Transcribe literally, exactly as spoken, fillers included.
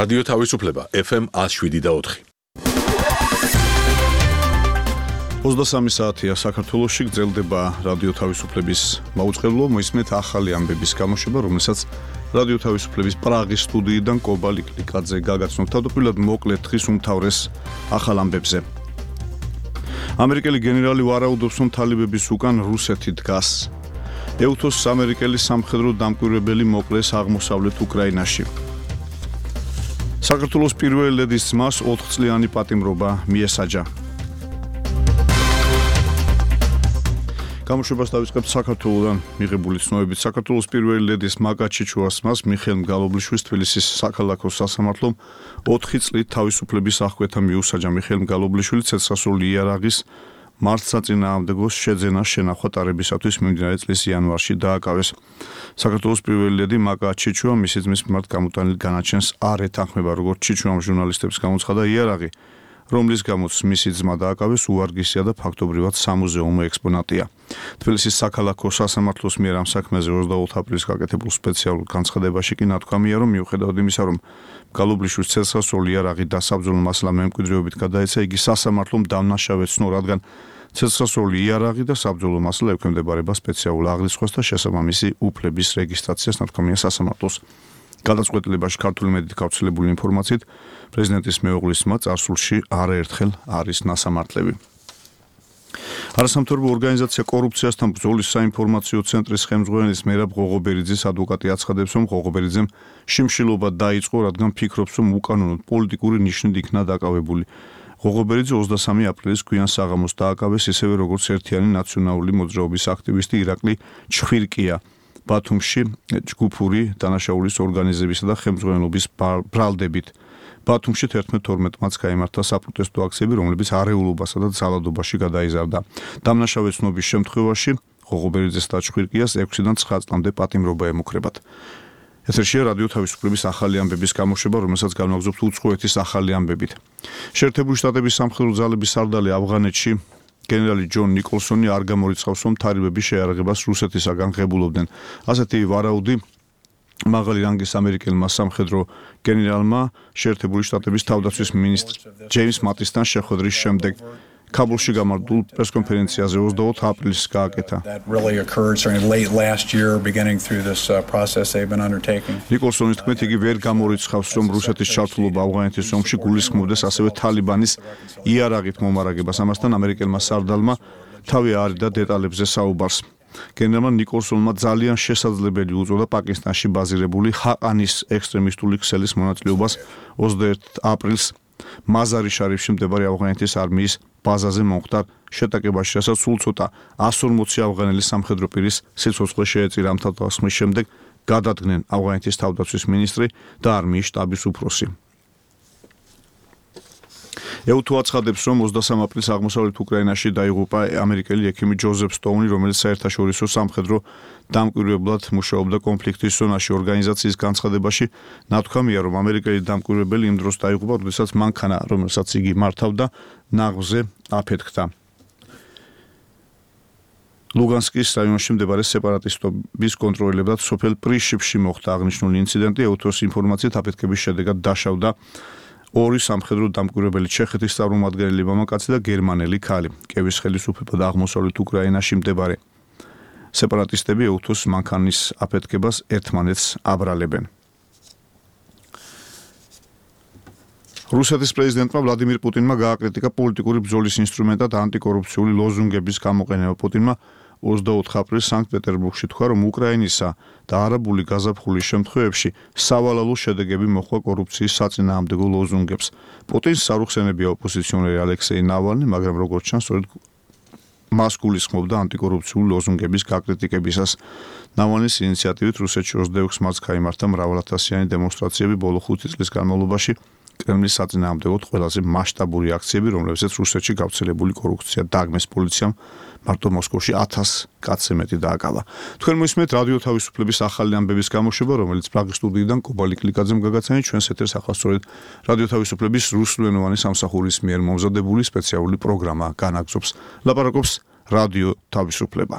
რადიო თავისუფლება ეფ ემ ათს შვიდი და ოთხი. ოცდასამი საათია საქართველოში გრძელდება რადიო თავისუფლების მაუწყებლობა, მოისმენთ ახალი ამბების გამოშვება, რომელსაც რადიო თავისუფლების პრაღის სტუდიიდან კობა ლიკლიკაძე გაგაცნობ. თავდაპირველად მოკლედ დღის უმთავრეს ახალ ამბებზე. ამერიკელი გენერალი ვარაუდობს, რომ თალიბების უკან რუსეთი დგას. ეუთოს ამერიკელი სამხედრო დამკვირვებელი მოკლეს აღმოსავლეთ უკრაინაში. საქართველოს პირველი ლედის ძმას ოთხწლიანი პატიმრობა მიესაჯა. გამოშვებას დავიწყებთ საქართველოდან მიღებული ცნობებით. საქართველოს პირველი ლედის მაგა ჩიჩუას ძმას მიხეილ მგალობლიშვილს თბილისის საქალაქო სასამართლომ ოთხი წლით თავისუფლების აღკვეთა მიუსაჯა. მიხეილ მგალობლიშვილი ცეცხლსასროლი იარაღის მართლსაწინააღმდეგოს შეძენას შენახვა ტარებისათვის მიმდინარე წლის იანვარში დააკავეს. საქართველოს პირველი ლედი მაგა ჩიჩუა მისი ძმის მიმართ გამოტანილ განაჩენს არ ეთანხმება. როგორც ჩიჩუამ ჟურნალისტებს გამოცხადა, იარაღი, რომლის გამოც მისი ძმა დააკავეს, უვარგისია და ფაქტობრივად სამუზეუმო ექსპონატია. თბილისის საქალაქო სასამართლოს მიერ ამ საქმეზე ოცდაოთხ აპრილს გაკეთებულ სპეციალურ განცხადებაში კი ნათქვამია, რომ მიუხედავად იმისა, რომ მგალობლიშვილის ცეცხლსასროლი იარაღი დასაბრძოლო მასალა მემკვიდრეობით გადაეცა, იგი სასამართლომ დამნაშავედ ცნო, რადგან ცეცხლსასროლი იარაღი და საბრძოლო მასალა ექვემდებარება სპეციალურ აღრიცხვას და შესაბამისი უფლების რეგისტრაციას, ნათქვამია სასამართლოს. გადაწყვეტილებაში ქართული მედიით გავრცელებული ინფორმაციით პრეზიდენტის მეუღლის ძმა წარსულში არაერთხელ არის ნასამართლები. არასამთავრობო ორგანიზაცია კორუფციასთან ბრძოლის საინფორმაციო ცენტრის ხელმძღვანელის მერაბ ღოღობერიძის ადვოკატი აცხადებს, რომ ღოღობერიძემ შიმშილობა დაიწყო, რადგან ფიქრობს, რომ უკანონოდ პოლიტიკური ნიშნით იქნა დაკავებული. ღოღობერიძე ოცდასამი აპრილის გვიან საღამოს დააკავეს, ისევე როგორც ერთიანი ნაციონალური მოძრაობის აქტივისტი ირაკლი ჩხვირკია. ბათუმში ჯგუფური დანაშაულის ორგანიზებისა და ხელმძღვანელობის ბრალდებით. ბათუმში თერთმეტ თორმეტ მარტს გაიმართა საპროტესტო აქციები, რომლებიც არეულობასა და ძალადობაში გადაიზარდა. დამნაშავე ცნობის შემთხვევაში ღოღობერიძეს და ჩხვირკიას ექვსიდან ცხრა წლამდე პატიმრობა ემუქრებათ. ეთერშია რადიო თავისუფლების ახალი ამბების გამოშვება, რომელსაც განვაგრძობთ უცხოეთის ახალი ამბებით. შეერთებული შტატების სამხედრო ძალების სარდალი ავღანეთში გენერალი ჯონ ნიკოლსონი არ გამორიცხავს, რომ თალიბების შეიარაღებას რუსეთისაგან ღებულობდნენ. ასეთი ვარაუდი მაღალი რანგის ამერიკელმა სამხედრო გენერალმა შეერთებული შტატების თავდაცვის მინისტრ ჯეიმს მატისთან შეხვედრის შემდეგ ქაბულში გამართულ პრესკონფერენციაზე ოცდაოთხ აპრილს გააკეთა. ნიკოლსონის თქმით, იგი ვერ გამორიცხავს, რომ რუსეთის ჩართულობა ავღანეთის ომში გულისხმობდეს ასევე თალიბანის იარაღით მომარაგებას. ამასთან ამერიკელმა სარდალმა თავი აარიდა დეტალებზე საუბარს. გენერალმა ნიკოლსონმა ძალიან შესაძლებელი უწოდა პაკისტანში ბაზირებული ჰაყანის ექსტრემისტული ქსელის მონაწილეობას ოცდაერთი აპრილს მაზარი შარიფში მდებარე ავღანეთის არმიის ბაზაზე მომხდარ შეტაკებაში, რასაც სულ ცოტა εκατს ორმოცი ავღანელი სამხედრო პირის სიცოცხლე შეეწირა. ამ თავდასხმის შემდეგ გადადგნენ ავღანეთის თავდაცვის მინისტრი და არმიის შტაბის უფროსი. ეუთო აცხადებს, რომ ოცდასამ აპრილს აღმოსავლეთ უკრაინაში დაიღუპა ამერიკელი ექიმი ჯოზეფ სტოუნი, რომელიც საერთაშორისო სამხედრო დამკვირვებლად მუშაობდა კონფლიქტის ზონაში. ორგანიზაციის განცხადებაში ნათქვამია, რომ ამერიკელი დამკვირვებელი იმ დროს დაიღუპა, როდესაც მანქანა, რომელსაც იგი მართავდა, ნაღვზე აფეთქდა. ლუგანსკის რაიონში მდებარე სეპარატისტების კონტროლებად სოფელ პრიშიპში მოხდა აღნიშნული ინციდენტი. ეუთოს ინფორმაციით აფეთქების შედეგად დაშავდა ორი სამხედრო დამკვირვებელი, ჩეხეთის წარმომადგენელი მამაკაცი და გერმანელი ქალი. კევის ხელისუფლება და აღმოსავლეთ უკრაინაში მდებარე სეპარატისტები ეუთოს მანქანის აფეთქებას ერთმანეთს აბრალებენ. რუსეთის პრეზიდენტმა ვლადიმირ პუტინმა გააკრიტიკა პოლიტიკური ბრძოლის ინსტრუმენტად ანტიკორუფციული ლოზუნგების გამოყენება. პუტინმა ოცდაოთხ აპრილს სანქტ-პეტერბურგში თქვა, რომ უკრაინისა და არაბული გაზაფხულის შემთხვევებში სავალალო შედეგები მოჰყვა კორუფციის საწინააღმდეგო ლოზუნგებს. პუტინს სარუხსენებია ოპოზიციონერი ალექსეი ნავალნი, მაგრამ როგორც ჩანს, სწორედ მას გულისხმობდა ანტიკორუფციული ლოზუნგების გაკრიტიკებისას. ნავალნის ინიციატივით რუსეთში ოცდაექვსი მარტს გაიმართა მრავალათასიანი დემონსტრაციები. ბოლო ხუთი წლის განმავლობაში კრემლის საწინააღმდეგოდ ყველაზე მასშტაბური აქციები, რომლებზეც რუსეთში გავრცელებული კორუფცია დაგმეს პოლიციამ, მარტო მოსკოვში ათას კაცზე მეტი დააკავა. თქვენ მოისმენთ რადიო თავისუფლების ახალი ამბების გამოშვება, რომელიც პრაღის სტუდიიდან კობა ლიკლიკაძემ გაგაცანით. ჩვენს ეთერს ახლა სწორედ რადიო თავისუფლების რუსულენოვანი სამსახურის მიერ მომზადებული სპეციალური პროგრამა განაგრძობს. ლაპარაკობს რადიო თავისუფლება.